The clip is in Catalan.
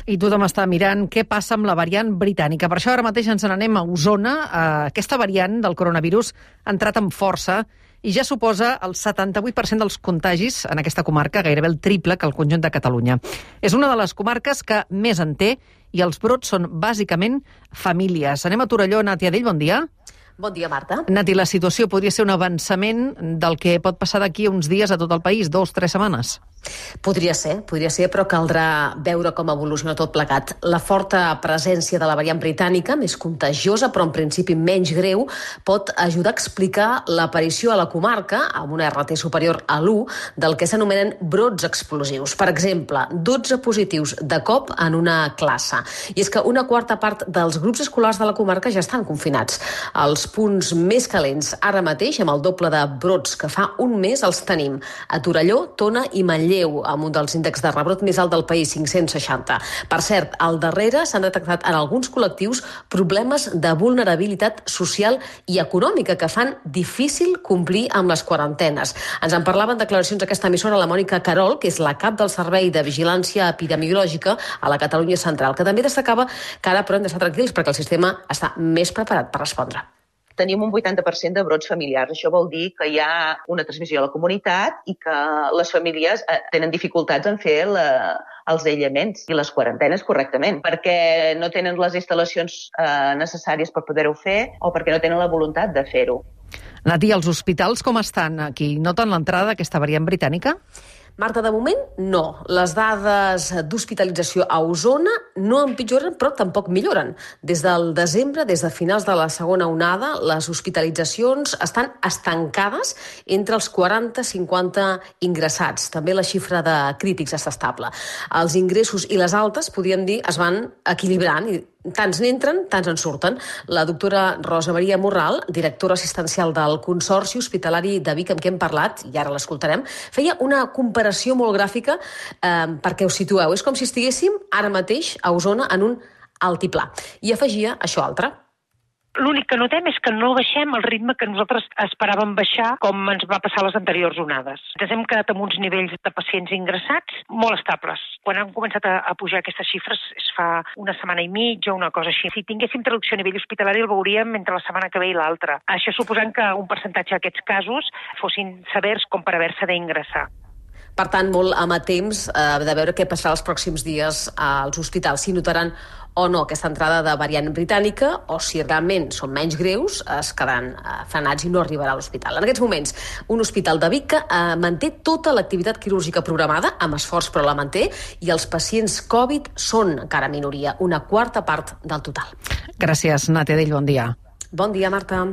I tothom està mirant què passa amb la variant britànica. Per això ara mateix ens n'anem a Osona. Aquesta variant del coronavirus ha entrat amb força i ja suposa el 78% dels contagis en aquesta comarca, gairebé el triple que el conjunt de Catalunya. És una de les comarques que més en té i els brots són bàsicament famílies. Anem a Torelló. Nàtia Dell, bon dia. Bon dia, Marta. Nati, la situació podria ser un avançament del que pot passar d'aquí a uns dies a tot el país, 2-3 setmanes. Podria ser, però caldrà veure com evoluciona tot plegat. La forta presència de la variant britànica, més contagiosa, però en principi menys greu, pot ajudar a explicar l'aparició a la comarca, amb una RT superior a l'1, del que s'anomenen brots explosius. Per exemple, 12 positius de cop en una classe. I és que una quarta part dels grups escolars de la comarca ja estan confinats. Els punts més calents ara mateix, amb el doble de brots que fa un mes, els tenim a Torelló, Tona i Manlleu, amb un dels índexs de rebrot més alt del país, 560. Per cert, al darrere s'han detectat en alguns col·lectius problemes de vulnerabilitat social i econòmica que fan difícil complir amb les quarantenes. Ens en parlava en declaracions d'aquesta emissora la Mònica Carol, que és la cap del Servei de Vigilància Epidemiològica a la Catalunya Central, que també destacava que ara però hem d'estar tranquils perquè el sistema està més preparat per respondre. Tenim un 80% de brots familiars. Això vol dir que hi ha una transmissió a la comunitat i que les famílies tenen dificultats en fer els aïllaments i les quarantenes correctament, perquè no tenen les instal·lacions necessàries per poder-ho fer o perquè no tenen la voluntat de fer-ho. Nati, els hospitals com estan aquí? Noten l'entrada d'aquesta variant britànica? Marta, de moment, no. Les dades d'hospitalització a Osona no empitjoren, però tampoc milloren. Des del desembre, des de finals de la segona onada, les hospitalitzacions estan estancades entre els 40 i 50 ingressats. També la xifra de crítics està estable. Els ingressos i les altes, podríem dir, es van equilibrant i tants n'entren, tants en surten. La doctora Rosa Maria Morral, directora assistencial del Consorci Hospitalari de Vic, amb què hem parlat, i ara l'escoltarem, feia una comparació molt gràfica perquè us situeu. És com si estiguéssim ara mateix a Osona en un altiplà. I afegia això altre. L'únic que notem és que no baixem el ritme que nosaltres esperàvem baixar com ens va passar les anteriors onades. Ens hem quedat amb uns nivells de pacients ingressats molt estables. Quan han començat a pujar aquestes xifres es fa una setmana i mitja o una cosa així. Si tinguéssim traducció a nivell hospitalari el veuríem entre la setmana que ve i l'altra. Això suposant que un percentatge d'aquests casos fossin severs com per haver-se d'ingressar. Per tant, molt amatents de veure què passarà els pròxims dies als hospitals, si notaran o no aquesta entrada de variant britànica o si realment són menys greus es quedaran frenats i no arribarà a l'hospital. En aquests moments, un hospital de Vic que manté tota l'activitat quirúrgica programada, amb esforç però la manté, i els pacients Covid són encara minoria, una quarta part del total. Gràcies, Nàtia Dell, bon dia. Bon dia, Marta.